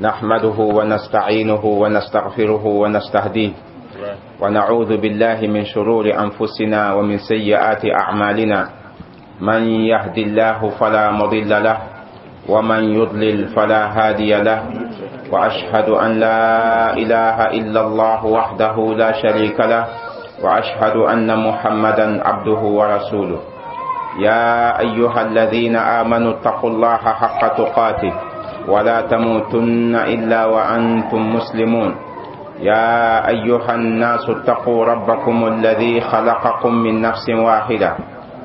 نحمده ونستعينه ونستغفره ونستهديه، ونعوذ بالله من شرور أنفسنا ومن سيئات أعمالنا. من يهد الله فلا مضل له، ومن يضلل فلا هادي له، وأشهد أن لا إله إلا الله وحده لا شريك له، وأشهد أن محمدا عبده ورسوله. يا أيها الذين آمنوا اتقوا الله حق تقاته ولا تموتن إلا وأنتم مسلمون. يا أيها الناس اتقوا ربكم الذي خلقكم من نفس واحدة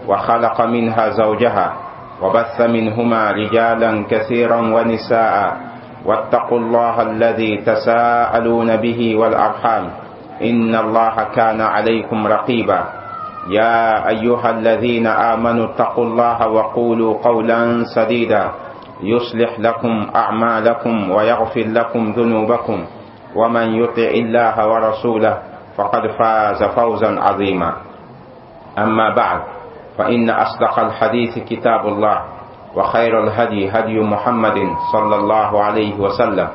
وخلق منها زوجها وبث منهما رجالا كثيرا ونساء، واتقوا الله الذي تساءلون به والأرحام إن الله كان عليكم رقيبا. يا أيها الذين آمنوا اتقوا الله وقولوا قولا سديدا يصلح لكم أعمالكم ويغفر لكم ذنوبكم، ومن يطع الله ورسوله فقد فاز فوزا عظيما. أما بعد، فإن أصدق الحديث كتاب الله، وخير الهدي هدي محمد صلى الله عليه وسلم،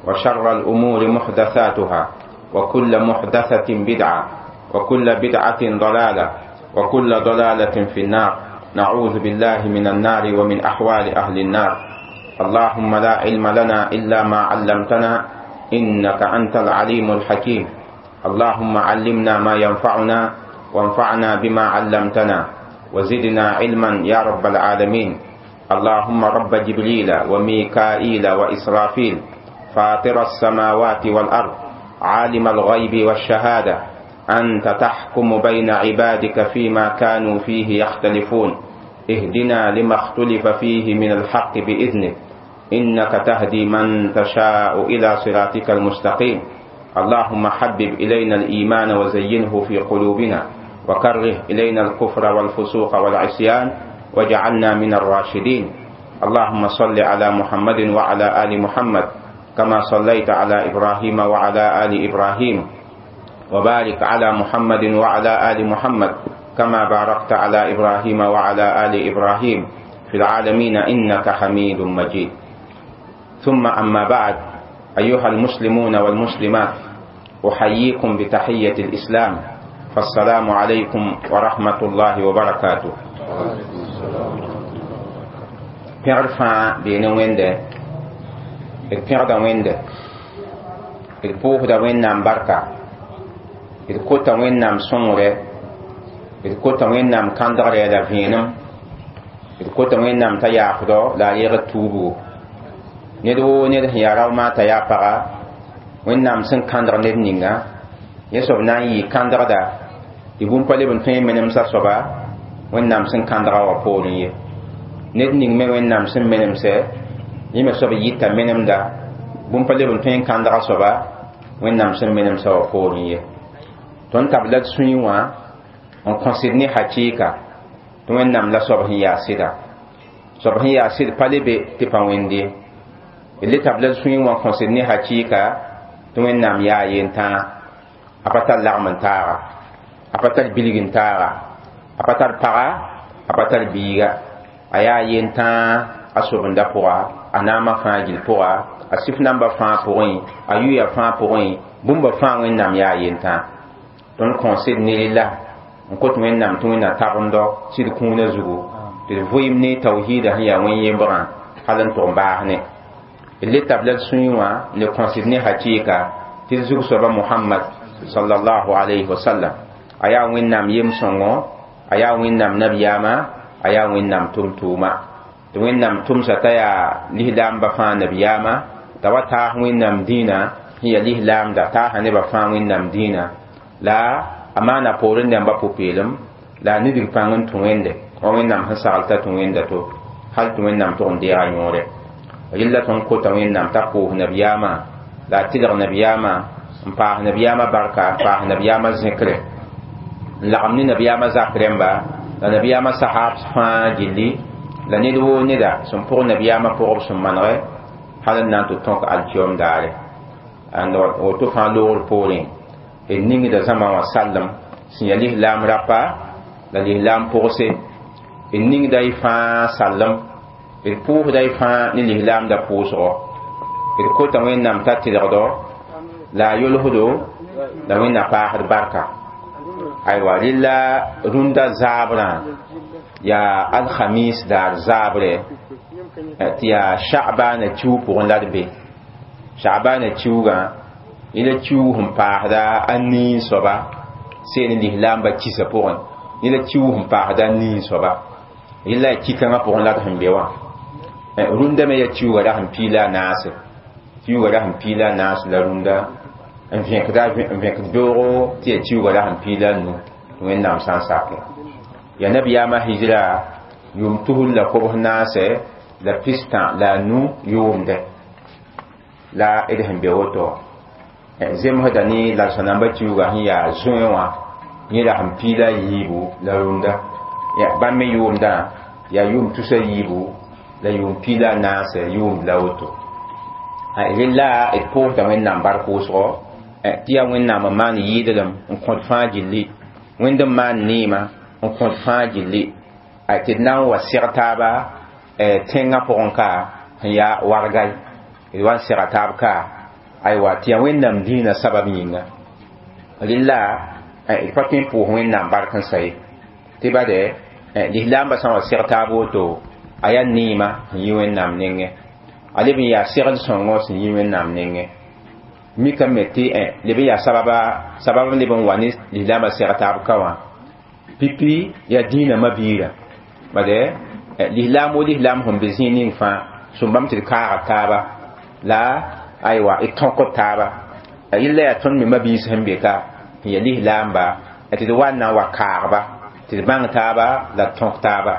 وشر الأمور محدثاتها، وكل محدثة بدعة، وكل بدعة ضلالة، وكل ضلالة في النار. نعوذ بالله من النار ومن أحوال أهل النار. اللهم لا علم لنا إلا ما علمتنا إنك أنت العليم الحكيم. اللهم علمنا ما ينفعنا، وانفعنا بما علمتنا، وزدنا علما يا رب العالمين. اللهم رب جبريل وميكائيل وإسرافيل، فاطر السماوات والأرض، عالم الغيب والشهادة، أنت تحكم بين عبادك فيما كانوا فيه يختلفون. اهدنا لما اختلف فيه من الحق بإذنك، إنك تهدي من تشاء إلى صراطك المستقيم. اللهم حبب إلينا الإيمان وزينه في قلوبنا، وكره إلينا الكفر والفسوق والعصيان، واجعلنا من الراشدين. اللهم صل على محمد وعلى آل محمد كما صليت على إبراهيم وعلى آل إبراهيم، وبارك على محمد وعلى آل محمد كما باركت على إبراهيم وعلى آل إبراهيم في العالمين إنك حميد مجيد. ثم أما بعد، أيها المسلمون والمسلمات، أحييكم بتحية الإسلام، فالسلام عليكم ورحمة الله وبركاته. Pẽgr fãa bee ne Wẽnde, d pẽgda Wẽnde, d pʋʋsda Wẽnnaam barka, d kota Wẽnnaam sõngre, d kota Wẽnnaam kãndgre la vẽenem, d kota Wẽnnaam t'a yaafdɔ la a yegd tuubgo. Ned woo ned sẽn yaa rao t'a yaa paga, Wẽnnaam sẽn kãndg ned ninga, yẽ soab na n yɩ kãndgda tɩ bũmb pa leb n tõe n menemsa soaba Wẽnnaam sẽn kãndga wã poorẽ ye. Ned ning me Wẽnnaam sẽn menemsɛ, yẽ me soab yɩta menemda, bũmb pa leb n tõe n kãndga soaba Wẽnnaam sẽn menemsa wã poorẽ ye. Tõnd tabla d sũyẽ wã n kõsd ne hakɩɩka tɩ Wẽnnaam la soab sẽn yaa sɩda. Soab sẽn yaa sɩd pa le be tɩ pa wẽnd ye. D le tabla d sũyẽ wã n kõsd ne hakɩɩka tɩ Wẽnnaam yaa yentãa, a pa tar lagm n taaga, a pa tar bilg n taaga, a pa tar paga, a pa tar biiga. A yaa yentãa a sobenda pʋga, a naamã fãa gill pʋga, a sɩf namba fãa pʋgẽ, a yʋya fãa pʋgẽ, bũmba fãa Wẽnnaam yaa yentãa. Tõnd kõsd ne rela n kot Wẽnnaam tɩ Wẽnna tabendɔ sɩd kũunã zugu, tɩ d vɩɩm ne tawhiida sẽn yaa wẽn-yembrã hal n tʋg n baas ne. D le tabla d sũyẽ wã ne kõsd ne hakɩɩka tɩ d zug soaba Mohamad sallallahu alayhi wa sallam, a yaa Wẽnnaam yem-sõngo, a yaa Wẽnnaam nabiyaama, a yaa Wẽnnaam tʋm-tʋʋma. Tɩ Wẽnnaam tʋmsa t'a yaa lislaamba fãa nabiyaama, t'a wa taas Wẽnnaam dĩinã sẽn yaa lislaamda, taasa nebã fãa Wẽnnaam dĩinã, la a maana poorẽ dãmba pʋ-peelem, la a nidg pãng n tũ Wẽnde wa Wẽnnaam sẽn sagl t'a tũ Wẽnda to hal tɩ Wẽnnaam tʋg n deega yõore. Rɩlla tõnd kota Wẽnnaam t'a koos nabiyaamã, la a tɩlg nabiyaamã, n paas nabiyaamã barka, n paas nabiyaamã zẽkre, n lagem ne nabiyaamã zak rẽmba la nabiyaamã sahab fãa gilli, la ned woo neda sẽn pʋg nabiyaamã pʋgb sẽn manege hal n na n tɩ tõk alkiyom daare. Woto fãa loogr poorẽ, d ningda zãma wã sallem sẽn yaa lislaam rapa la lislaam pʋgse, d ningda y fãa sallem, d pʋʋsda y fãa ne lislaamda pʋʋsgo. D kota Wẽnnaam t'a tɩlgdo la a yolsdo la Wẽnna paasd barka. Aywa, rɩla rũndã zaabrã yaa alhamis daar zaabre tɩ yaa Sha'bana kiu pʋgẽ la d be. Sha'bana kiugã yẽla kiug sẽn paasda a nii soaba seen lislaamba kisa pʋgẽ, yẽla kiug sẽn paasda a nii soaba, yẽla yaa ki-kãngã pʋgẽ la d sẽn be wã. Rũndã me yaa kiuga ra sẽn piila a naase, kiuga ra sẽn piila a naase la rũndã n vẽkd beoogo tɩ yaa kiuga ra sẽn piila a nu tɩ Wẽnnaam sã n sake. Yaa nabiyaamã hijra yʋʋm 1445 yʋʋmdɛ la d sẽn be woto. Zemsda ne la-sõnamba kiuga sẽn yaa zoe wã yẽ ra sẽn piila a yiibu la rũndã bãmb me yʋʋmdã yaa yʋʋm 324 yʋʋmd la woto. Rella d pʋʋsda Wẽnnaam bark wʋsgo tɩ yaa Wẽnnaam n maan yɩɩdlem n kõt fãa gilli, Wẽnd n maan neema n kõt fãa gilli tɩ d na n wa seg taaba tẽngã pʋgẽ ka sẽn yaa wargay, d wa n sega taab ka. Aywa, tɩ yaa Wẽnnaam dĩinã sabab yĩnga. Rella d pa tõe n pʋʋs Wẽnnaam bark n sa ye, tɩ bade lislaambã sã n wa seg taab woto a yaa neema sẽn yi Wẽnnaam nengẽ, a leb n yaa segl sõngo sẽn yi Wẽnnaam nengẽ. Mikame tɩ leb n yaa sababa, sabab n leb n wa ne lislaambã seg taab ka wã pipi yaa dĩinã mabiirã. Bade lislaam wo lislaam sẽn be zĩig ning fãa sũmbame tɩ d kaaga taaba la aywa d tõkd taaba. Yella yaa tõnd me mabiis sẽn be ka n yaa lislaamba tɩ d wa n na n wa kaagba tɩ d bãng taaba la d tõk taaba.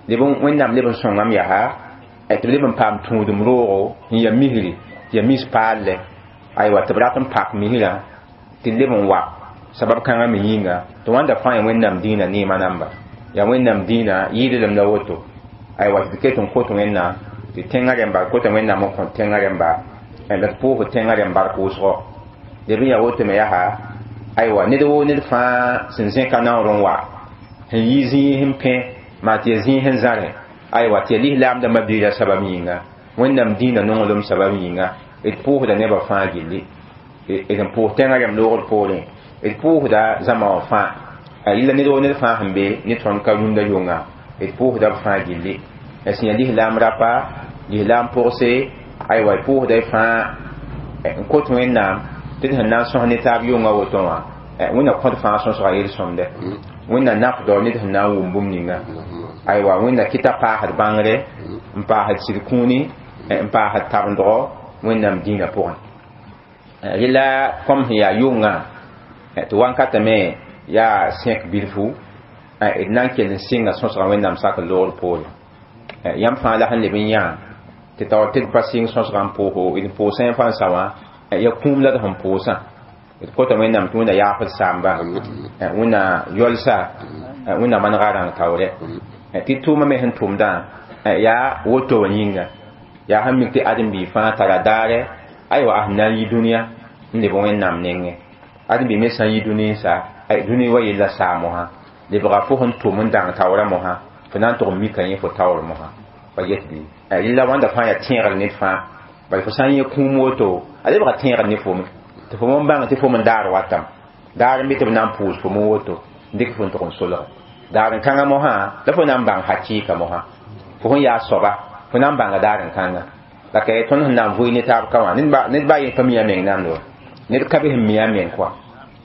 Leb Wẽnnaam leb n sõngame yaa tɩ b leb n paam tũudem roogo n yaa misri, tɩ yaa mis paalle. Aywa, tɩ b rat n pak misrã tɩ leb n wa sabab kãngã me yĩnga tɩ wãnda fãa yaa Wẽnnaam dĩinã neemã namba, yaa Wẽnnaam dĩinã yɩɩdlem la woto. Aywa, tɩ d ket n kot Wẽnnaam tɩ tẽngã rẽmba, kota Wẽnnaam n kõ tẽngã rẽmba la d pʋʋsd tẽngã rẽmb bark wʋsgo. Leb n yaa woto me yaa aywa ned woo ned fãa sẽn zẽka naoor n wa sẽn yi zĩig n pẽ maa tɩ yaa zĩig sẽn zãrẽ. Aywa, tɩ yaa lislaamdã mabiirã sabab yĩnga, Wẽnnaam dĩinã nonglem sabab yĩnga, d pʋʋsda nebã fãa gilli, d n pʋʋs tẽngã rẽmb loogr poorẽ, d pʋʋsda zãma wã fãa. Yella ned woo ned fãa sẽn be ne tõnd ka rũndã yʋnga, d pʋʋsda b fãa gilli, sẽn yaa lislaam rapa, lislaam pʋgse. Aywa, d pʋʋsda y fãa n kot Wẽnnaam tɩ d sẽn na n sõs ne taab yʋngã woto wã, Wẽnna kõt fãa sõsga yel-sõmde, Wẽnna nafdɔ ned sẽn na n wʋm bũmb ninga. Aywa, Wẽnna kɩta paasd bãngre n paasd sɩd kũuni n paasd tabendgɔ Wẽnnaam dĩinã pʋgẽ. Rela kom sẽn yaa yʋngã tɩ wankatã me yaa sẽk bilfu, d na n kell n sɩnga sõsga Wẽnnaam sak loogr poore. Yãmb fãa la sẽn leb n yã tɩ taoor tɩ d pa sɩng sõsga n pʋʋso, d pʋʋsã fãa n sa wã yaa kũum la d sẽn pʋʋsã. D kota Wẽnnaam tɩ Wẽnna yaafd saamba, Wẽnna yɔlsa, Wẽnna manega rãng taoorɛ tɩ tʋʋmã me sẽn tʋmdã yaa woto wã yĩnga. Yaa sẽn mik tɩ ãdem-biig fãa tara daarɛ, aywa, a sẽn na n yi dũniyã n leb Wẽnnaam nengẽ. Ãdem-biig me sã n yi dũni n sa, dũni wa yella saa mosã lebga fo sẽn tʋm n dãng taoorã mosã, fo na n tʋg n mika yẽ fo taoor mosã pa get bɩ. Rella wãnda fãa yaa tẽegr ned fãa, bala fo sã n yẽ kũum woto a lebga tẽegr ne fo me tɩ fo n bãng tɩ fo n daar watame daar n be tɩ b na n pʋʋs fo me woto n dɩk fo n tʋg n solge daar n kãngã mosã la fo na n bãng hakɩɩka mosã fo sẽn yaa soaba, fo na n bãnga daar n kãnga la ka tõnd sẽn na n vʋɩ ne taab ka wã ned baa yẽ pa mi a meng nando ned ka be sẽn mi a meng kɔa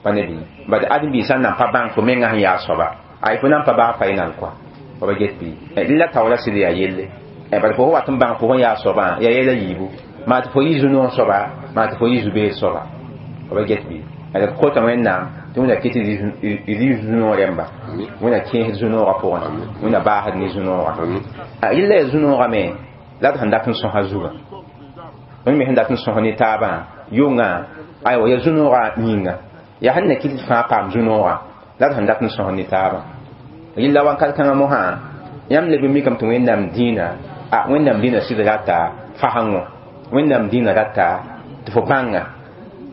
pa ne bɩ bad ãdem-biig sã n na n pa bãng fo mengã sẽn yaa soaba, ay fo na n pa baa pa y nan kɔa pa ba get bɩ. Rella taoora sɩd yaa yelle, bad fo wat n bãng fo sẽn yaa soabã yaa yɛla yiibu, maa tɩ fo yɩ zu-noog soaba, maa tɩ fo yɩ zu-beed soaba pa ba get bɩ. D kota Wẽnnaam tɩ Wẽnna kɩt tɩ d yɩ zu-noog rẽmba, Wẽnna kẽesd zu-noogã pʋgẽ, Wẽnna baasd ne zu-noogã. Rella yaa zu-noogã me la d sẽn dat n sõsa zugã, tõnd me sẽn dat n sõs ne taabã yʋngã. Aywa, yaa zu-noogã yĩnga, yaa sẽn na kɩt tɩ fãa paam zu-noogã la d sẽn dat n sõs ne taabã. Rella wãnkat kãngã mosã yãmb leb n mikame tɩ Wẽnnaam dĩinã, a Wẽnnaam dĩinã sɩd rata fasengo, Wẽnnaam dĩinã rata tɩ fo bãnga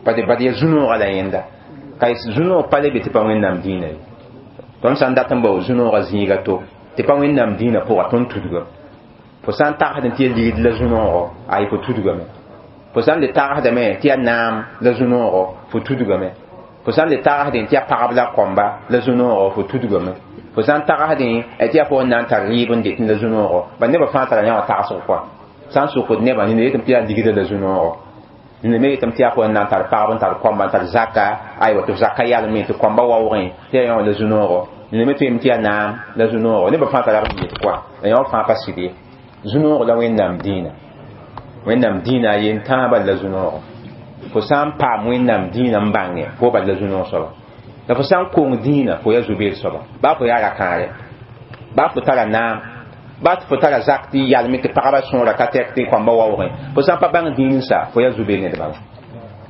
bad yaa zu-noogã la yẽnda ka zu-noog pa le be tɩ pa Wẽnnaam dĩinã ye. Tõnd sã n dat n bao zu-noogã zĩiga to tɩ pa Wẽnnaam dĩinã pʋga, tõnd tudgame. Fo sã n tagsd tɩ ya ligd la zu-noogo, ay fo tudgame. Fo sãn le tagsdame tɩ yaa naam la zu-noogo, fo tudgame. Fo sãn le tagsdẽ tɩ yaa pagb la kɔmba la zu-noogo, fo tudgame. Fo sãn tagsdẽ tɩ yaa fo n na n tar rɩɩb n det la zu-noogo, ba nebã fãa tara yã wã tagsg kɔa. Sã n sokd nebã, nina yetame tɩ yaa ligdã la zu-noogo, nina me yetame tɩ yaa fo n na n tar pagb n tar kɔmba n tar zaka, aywa, tɩ f zaka yalme tɩ kɔmba waoogẽ tɩ yaa yã wã la zu-noogo. Nina me tõeme tɩ yaa naam la zu-noogo. Nebã fãa tara b yet kɔa, la yã wã fãa pa sɩd ye. Zu-noogo la Wẽnnaam dĩinã. Wẽnnaam dĩinã a yen tãabã la zu-noogo. Fo sã n paam Wẽnnaam dĩinã n bãnge, fo bal la zu-noog soaba. La fo sã n kong dĩinã, fo yaa zu-beed soaba. Baa fo yaa ra-kãare, baa fo tara naam, baa tɩ fo tara zak tɩ yalme tɩ pagba sõora ka tɛk tɩ kɔmba waoogẽ, fo sã n pa bãng dĩin sa, fo yaa zu-beed ned bala.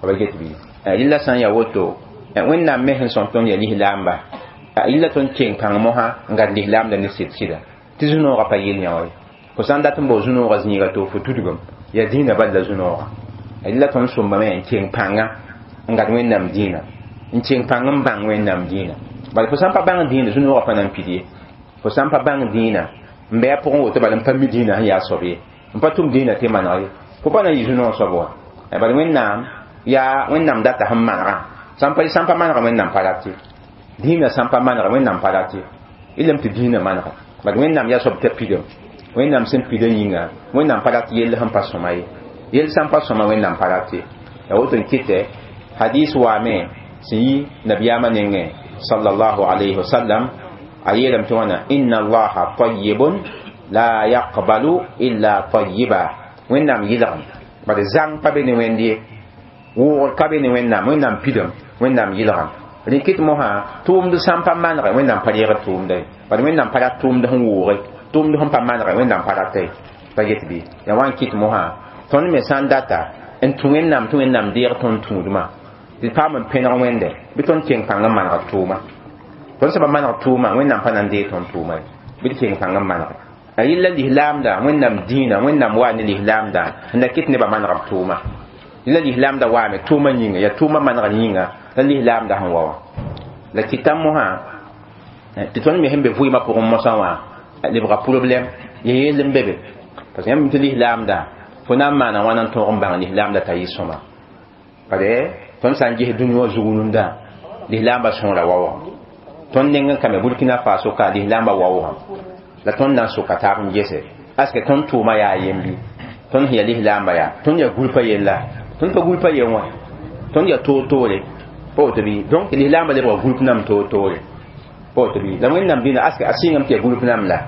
Ba get bɩ rɩla sã n yaa woto, Wẽnnaam me sẽn sõm tõnd yaa lislaamba, rɩla tõnd keng pãng mosã n gad lislaamda ne sɩd sɩda tɩ zu-noogã pa yel yã wa ye. Fo sã n dat n bao zu-noogã zĩiga to fo tudgem, yaa dĩinã bal la zu-noogã. Rɩla tõnd sõmbame n keng pãnga n gad Wẽnnaam dĩinã, n keng pãng n bãng Wẽnnaam dĩinã. Bala fo sã n pa bãng dĩinã, zu-noogã pa na n pid ye. Fo sã n pa bãng dĩinã n bɩ a pʋgẽ woto, bala n pa mi dĩinã sẽn yaa soab ye, n pa tʋm dĩinã tɩ maneg ye, fo pa na n yɩ zu-noog soab wa. Bala Wẽnnaam yaa Wẽnnaam data sẽn manegã. Sã n pa manega, Wẽnnaam pa rat ye. Dĩinã sã n pa manega, Wẽnnaam pa rat ye. Ilame tɩ dĩinã manega, bala Wẽnnaam yaa soab t'a pidame. Wẽnnaam sẽn pidã yĩnga, Wẽnnaam pa rat yell sẽn pa sõma ye. Yell sã n pa sõma, Wẽnnaam pa rat ye. Ya woto n kɩtɛ hadis waame sẽn yi nabiyaamã nengẽ sallallahu alayhi wa sallam, a yeelame tɩ wãna: inna allaha tayyibun la yaqbalu illa tayyiba. Wẽnnaam yɩlgem, bad zãng pa be ne Wẽnd ye, wʋʋgr ka be ne Wẽnnaam. Wẽnnaam pidame, Wẽnnaam yɩlgem. Rẽ kɩt mosã tʋʋmd sã n pa manege, Wẽnnaam pa reegd tʋʋmda ye. Bad Wẽnnaam pa rat tʋʋmd sẽn wʋʋge, tʋʋmd sẽn pa manege, Wẽnnaam pa rata ye. Pa get bɩ yaa wa n kɩt mosã tõnd me sã n data n tũ Wẽnnaam tɩ Wẽnnaam deeg tõnd tũudmã, tɩ paam n pẽneg Wẽnde, bɩ tõnd keng pãng n maneg tʋʋma. Tõnd sã pa maneg tʋʋma, Wẽnnaam pa na n deeg tõnd tʋʋma ye. Bɩ d keng pãng n manege. A yella lislaamda, Wẽnnaam dĩinã, Wẽnnaam waa ne lislaamda n da kɩt nebã maneg b tʋʋma. La lislaamda waame tʋʋma yĩnga, yaa tʋʋma manegr yĩnga la lislaamda sẽn wa wã. La kɩta mosã tɩ tõnd me sẽn be vɩɩmã pʋgẽ mosã wã lebga problɛm ya yell n be be, parce que yãmb tɩ lislaamda fo na n maana wãna n tõog n bãng lislaamda t'a yɩ sõma. Bale tõnd sã n ges dũni wã zug rũndã, lislaambã sõora waoogame. Tõnd neng n kame Burkina Faso ka lislaambã waoogame, la tõnd na n soka taab n gese aske tõnd tʋʋma yaa yembi. Tõnd sẽn yaa lislaambã, yaa tõnd yaa gũlpa yella, tõnd pa gũlpa yen wã, tõnd yaa toor-toore, pa woto bɩ? Donc lislaambã lebga gũlp nam toor-toore, pa woto bɩ? La Wẽnnaam dĩnã aske a sɩngame tɩ yaa gũlp nam la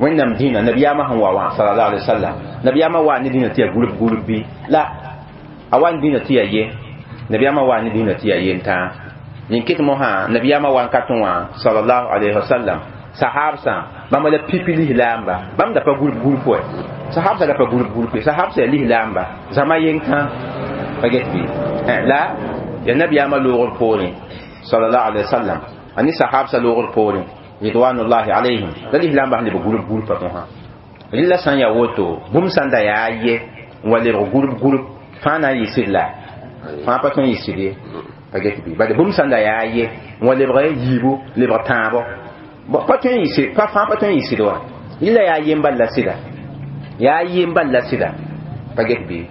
Wẽnnaam dĩnã nabiyaamã sẽn wa wã sallallahu alaihi wasallam, nabiyaamã waa ne dĩnã tɩ yaa gũlp gũlp bɩ la a wa n dĩnã tɩ yaa ye. Nabiyaamã waa ne dĩnã tɩ yaa yen tãa. Nin kɩt mosã nabiyaamã wa n ka tẽ wã sallallahu alaihi wasallam, sahabsã bãmba la pipi lislaamba, bãmb da pa gũlp gũlp wɛ. Sahabsã da pa gũlp gũlp ye, sahabsã yaa lislaamba zãma yen-kã, pa get bɩ? La yaa nabiyaamã loogr poorẽ sallallahu alaihi wasallam, a ne sahabsã loogr poorẽ ridwanullahi alayhim, la lislaambã sẽn leb gũlp gũlpã mosã. Rɩla sã n yaa woto, bũmb sã n da yaa ye n wa lebg gũlp gũlp, fãa na n yɩ sɩd la fãa pa tõe n yɩ sɩd ye, pa get bɩ? Bala bũmb sã n da yaa ye n wa lebg yiibu, lebg tãabo, pa tõe n yɩ sɩd, pa fãa pa tõe n yɩ sɩd wa. Rɩla yaa yem bal la sɩda, yaa yem bal la sɩda, pa get bɩ?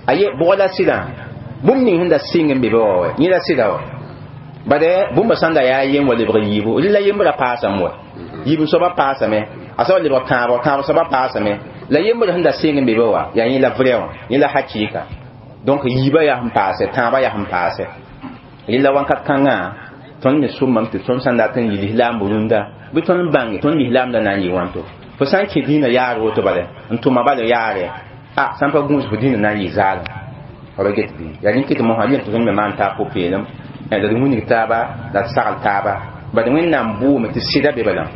A ye bʋg la sɩdã, bũmb ning sẽn da sɩng n be be wa wa, yẽ la sɩda wa. Bade bũmba sã n da yaa yem wa lebg yiibu, rɩla yembrã paasame wa, yiib soabã paasame, a soaba lebg tãabo, tãab soabã paasame, la yembr sẽn da sɩng n be be wa yaa yẽ la vrai wã, yẽ la hakɩɩka. Donc yiibã yaa sẽn paase, tãabã yaa sẽn paase. Rɩla wãnkat kãngã tõnd me sʋmame tɩ tõnd sã n dat n yɩ lislaamb rũndã, bɩ tõnd bãnge tõnd lislaamdã na n yɩ wãnto. Fo sã n kẽ dĩinã yaar woto bala n tʋma bala yaare, a sã n pa gũus, fo dĩinã na n yɩ zaalem, fa ba get bɩ? Yaa rẽn kɩt mosã rẽn tɩ tõnd me maan taab pʋ-peelem, la d wilg taaba, la d sagl taaba. Bad Wẽnnaam bʋʋme tɩ sɩda be balame,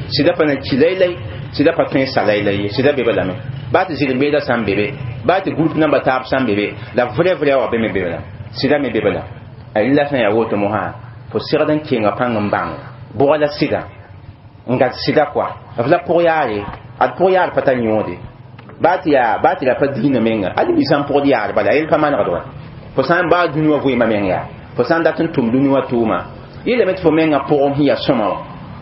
sɩda pa na ki laylay, sɩda pa tõe n sa laylay ye, sɩda be balame. Baa tɩ zɩrem-beedã sã n be be, baa tɩ gũlp namba taab sã n be be, la vrai vrai wã be me be bala, sɩda me be bala. Rɩla sã n yaa woto mosã, fo segd n kenga pãng n bãng bʋga la sɩda n gad sɩda kɔa f la pʋg yaare, ad pʋg yaar pa tar yõode, baa tɩ yaa baa tɩ ra pa dĩinã menga, ad bi sã n pʋgd yaar bala, a yel pa manegd wa. Fo sã n baa dũni wã vɩɩmã meng yaa, fo sã n dat n tʋm dũni wã tʋʋma, yelame tɩ fo menga pʋgem sẽn yaa sõma wã,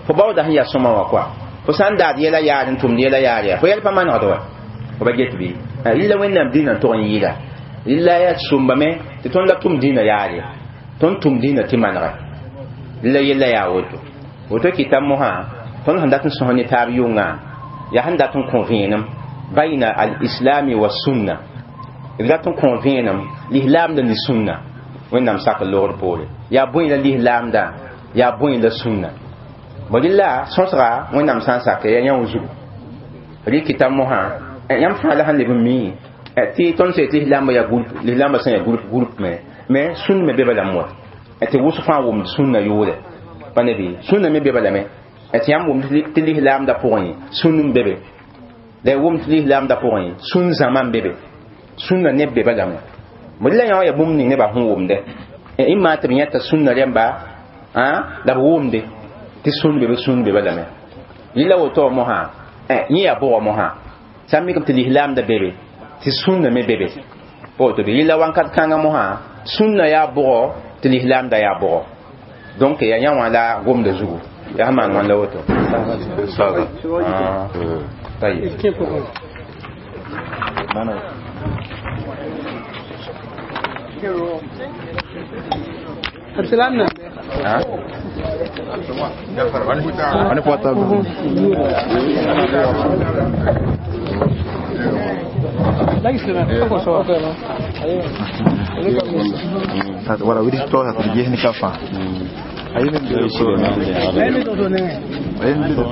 fo baooda sẽn yaa sõma wã kɔa, fo sã n daad yɛla yaar n tʋmd yɛla yaar yaa, fo yɛl pa manegd wa, fo ba get bɩ? Rɩla Wẽnnaam dĩnã n tog n yɩɩda. Rɩla yaa sõmbame tɩ tõnd la tʋm dĩinã yaare, tõnd tʋm dĩinã tɩ manegɛ. Rɩla yella yaa woto. Woto kɩta mosã tõnd sẽn dat n sõs ne taab yʋngã yaa sẽn dat n kõ vẽenem bayna al-islami wa sunna, d dat n kõ vẽenem lislaamda ne sũnna. Wẽnnaam sak logr poore yaa bõe la lislaamda, yaa bõe la sũnna. Bõ rɩla sõsga Wẽnnaam sã n sake yaa yã zugu rɩ kɩta mosã yãmb fãa la sẽn leb n mi tɩ tõnd sẽn tɩ lislaambã yaa groupe, lislaambã sẽn yaa groupe groupe me mais sũn me be balame wa tɩ wʋsg fãa wʋmd sũnna yʋʋrɛ pa ne bɩ sũnna me be balame tɩ yãmb wʋmd tɩ lislaamda pʋgẽ sũn n be be, la y wʋmd tɩ lislaamda pʋgẽ sũn zãma n be be, sũnna neb be balame. Bõ la yã wã yaa bũmb ning nebã sẽn wʋmdɛ ɩma tɩ b yẽta sũnna rẽmba la b wʋmde tɩ sũn be be, sũn be balame. Rɩla woto mosã yẽ yaa bʋgɔ mosã sã n mikame tɩ lislaamda be be tɩ sũnna me be be pa woto bɩ. Rɩla wãnkat kãngã mosã sũnna yaa bʋgɔ tɩ lislaamda yaa bʋgɔ. Donc yaa yã wã la gomda zugu yaa sẽn maan wãn la woto. طيب. Wala widi to ta jehni kafa. Ayi min do.